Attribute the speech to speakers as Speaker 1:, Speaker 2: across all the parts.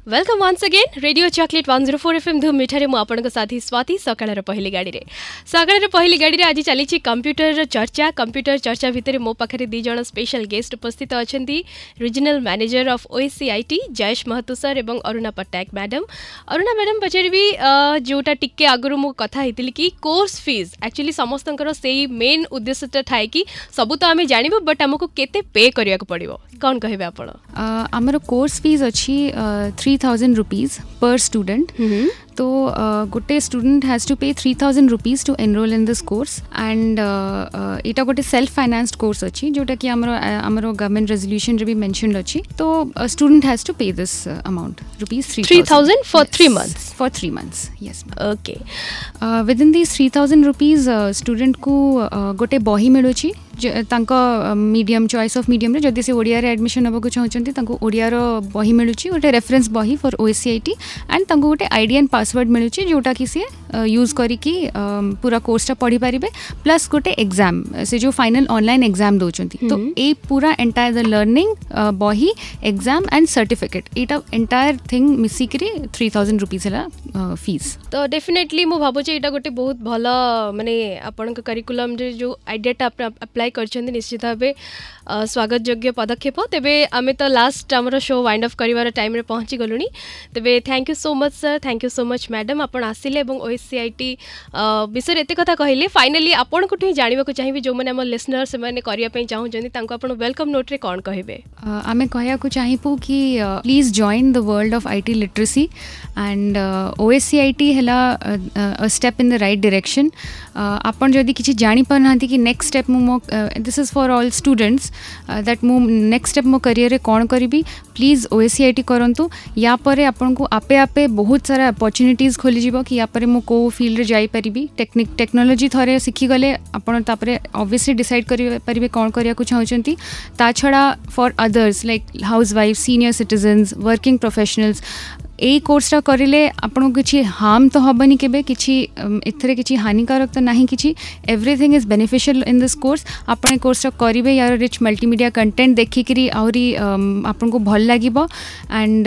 Speaker 1: Welcome once again, Radio Choklate 104 FM ଧୁମ୍ ମିଠାରେ ମୁଁ ଆପଣଙ୍କ ସାଥୀ ସ୍ୱାତି। ସକାଳର ପହିଲି ଗାଡ଼ିରେ, ସକାଳର ପହିଲି ଗାଡ଼ିରେ ଆଜି ଚାଲିଛି କମ୍ପ୍ୟୁଟରର ଚର୍ଚ୍ଚା। କମ୍ପ୍ୟୁଟର ଚର୍ଚ୍ଚା ଭିତରେ ମୋ ପାଖରେ ଦୁଇ ଜଣ ସ୍ପେଶାଲ ଗେଷ୍ଟ ଉପସ୍ଥିତ ଅଛନ୍ତି, regional manager of OACIT Jayesh Mahato sir ଏବଂ ଅରୁଣା ପଟ୍ଟନାୟକ ମ୍ୟାଡାମ୍। ଅରୁଣା ମ୍ୟାଡାମ୍, ପଚାରିବି ଯେଉଁଟା ଟିକେ ଆଗରୁ ମୁଁ କଥା ହେଇଥିଲି କି କୋର୍ସ ଫିଜ୍। ଆକ୍ଚୁଆଲି ସମସ୍ତଙ୍କର ସେଇ ମେନ୍ ଉଦ୍ଦେଶ୍ୟଟା ଥାଏ କି ସବୁ ତ ଆମେ ଜାଣିବୁ, ବଟ୍ ଆମକୁ କେତେ ପେ କରିବାକୁ ପଡ଼ିବ। କ'ଣ କହିବେ ଆପଣ?
Speaker 2: ଆମର କୋର୍ସ ଫିଜ୍ ଅଛି ₹3000 per student. ତ ଗୋଟେ student has to pay ₹3000 to enroll in this course and ଏଇଟା ଗୋଟେ ସେଲ୍ଫ ଫାଇନାନ୍ସଡ୍ କୋର୍ସ ଅଛି, ଯେଉଁଟାକି ଆମର ଗଭର୍ଣ୍ଣମେଣ୍ଟ ରେଜଲ୍ୟୁସନରେ ବି ମେନସନ୍ଡ ଅଛି। ତ student has to pay this amount, rupees 3
Speaker 1: 3000 for 3 months?
Speaker 2: For 3 months, yes.
Speaker 1: Okay.
Speaker 2: Within this ₹3000 ଷ୍ଟୁଡେଣ୍ଟକୁ ଗୋଟେ ବହି ମିଳୁଛି ତାଙ୍କ ମିଡ଼ିୟମ୍, ଚଏସ୍ ଅଫ୍ ମିଡ଼ିୟମ୍ରେ। ଯଦି ସେ ଓଡ଼ିଆରେ ଆଡ଼ମିସନ୍ ନେବାକୁ ଚାହୁଁଛନ୍ତି, ତାଙ୍କୁ ଓଡ଼ିଆର ବହି ମିଳୁଛି, ଗୋଟେ ରେଫରେନ୍ସ ବହି for O S C I T, and ତାଙ୍କୁ ଗୋଟେ I D and password ମିଳୁଛି, ଯେଉଁଟାକି ସିଏ ୟୁଜ୍ କରିକି ପୁରା କୋର୍ସଟା ପଢ଼ିପାରିବେ, ପ୍ଲସ୍ ଗୋଟେ ଏକ୍ଜାମ୍, ସେ ଯେଉଁ ଫାଇନାଲ୍ ଅନଲାଇନ୍ ଏକ୍ଜାମ୍ ଦେଉଛନ୍ତି। ତ ଏଇ ପୁରା ଏଣ୍ଟାୟାର ଦ ଲର୍ଣ୍ଣିଂ, ବହି, ଏକ୍ଜାମ୍ ଆଣ୍ଡ ସାର୍ଟିଫିକେଟ୍, ଏଇଟା ଏଣ୍ଟାୟାର ଥିଙ୍ଗ ମିଶିକିରି ₹3000 ହେଲା ଫିଜ୍।
Speaker 1: ତ ଡେଫିନେଟଲି ମୁଁ ଭାବୁଛି ଏଇଟା ଗୋଟେ ବହୁତ ଭଲ, ମାନେ ଆପଣଙ୍କ କରିକୁଲମ୍ରେ ଯେଉଁ ଆଇଡ଼ିଆଟା ଆପଣ ଆପ୍ଲାଏ କରିଛନ୍ତି, ନିଶ୍ଚିତ ଭାବେ ସ୍ୱାଗତ ଯୋଗ୍ୟ ପଦକ୍ଷେପ। ତେବେ ଆମେ ତ ଲାଷ୍ଟ ଆମର ଶୋ ୱାଇଣ୍ଡ ଅଫ୍ କରିବାର ଟାଇମ୍ରେ ପହଞ୍ଚି ଗଲୁଣି। ତେବେ thank you so much, sir, thank you so much, madam. ଆପଣ ଆସିଲେ ଏବଂ ଓ ଏସ୍ ସି I T ବିଷୟରେ ଏତେ କଥା କହିଲେ। ଫାଇନାଲି ଆପଣଙ୍କଠୁ ହିଁ ଜାଣିବାକୁ ଚାହିଁବି, ଯେଉଁମାନେ ଆମ ଲିସନର, ସେମାନେ କରିବା ପାଇଁ ଚାହୁଁଛନ୍ତି, ତାଙ୍କୁ ଆପଣ welcome ନୋଟ୍ରେ କ'ଣ କହିବେ?
Speaker 2: ଆମେ କହିବାକୁ ଚାହିଁବୁ କି please join the world of IT literacy and OSCIT ହେଲା step in the right direction. ଆପଣ ଯଦି କିଛି ଜାଣିପାରୁନାହାନ୍ତି କି ନେକ୍ସଟ ଷ୍ଟେପ୍ ମୁଁ ମୋ, this is for all students, that ମୁଁ ନେକ୍ସଟ ଷ୍ଟେପ୍ ମୋ କ୍ୟାରିୟରରେ କ'ଣ କରିବି, please O S C I T କରନ୍ତୁ। ୟା ପରେ ଆପଣଙ୍କୁ ଆପେ ଆପେ ବହୁତ ସାରା ଅପରଚ୍ୟୁନିଟିଜ୍ ଖୋଲିଯିବ କି ୟା ପରେ ମୁଁ କେଉଁ ଫିଲ୍ଡରେ ଯାଇପାରିବି। ଟେକ୍ନୋଲୋଜି ଥରେ ଶିଖିଗଲେ ଆପଣ ତାପରେ ଅବଭିୟସଲି ଡିସାଇଡ଼୍ କରିପାରିବେ କ'ଣ କରିବାକୁ ଚାହୁଁଛନ୍ତି। ତା ଛଡ଼ା for others like housewife, senior citizens, working professionals, ଏଇ କୋର୍ସଟା କରିଲେ ଆପଣଙ୍କୁ କିଛି ହାର୍ମ ତ ହେବନି କେବେ କିଛି, ଏଥିରେ କିଛି ହାନିକାରକ ତ ନାହିଁ କିଛି। Everything is beneficial in this course. ଆପଣ ଏ କୋର୍ସଟା କରିବେ, ୟାର ରିଚ୍ ମଲ୍ଟିମିଡ଼ିଆ କଣ୍ଟେଣ୍ଟ ଦେଖିକିରି ଆହୁରି ଆପଣଙ୍କୁ ଭଲ ଲାଗିବ। ଆଣ୍ଡ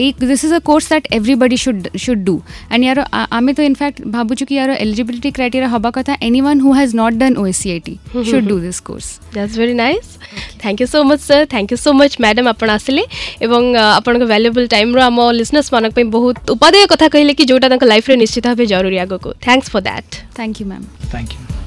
Speaker 2: ଏଇ this is a course that everybody should do and ୟାର ଆମେ ତ ଇନଫ୍ୟାକ୍ଟ ଭାବୁଛୁ କି ୟାର ଏଲିଜିବିଲିଟି କ୍ରାଇଟେରିଆ ହେବା କଥା, anyone who has not done OSCIT should do this course.
Speaker 1: That's very nice. Thank you so much, sir. Thank you so much, madam. ଆପଣ ଆସିଲେ ଏବଂ ଆପଣଙ୍କ ଭ୍ୟାଲୁଏବଲ୍ ଟାଇମ୍ରୁ ଆମ ଲିସନର୍ସ ମାନଙ୍କ ପାଇଁ ବହୁତ ଉପାଦେୟ କଥା କହିଲେ କି ଯେଉଁଟା ତାଙ୍କ ଲାଇଫ୍ରେ ନିଶ୍ଚିତ ଭାବେ ଜରୁରୀ ଆଗକୁ। Thanks for that.
Speaker 2: Thank you, ma'am.
Speaker 3: Thank you.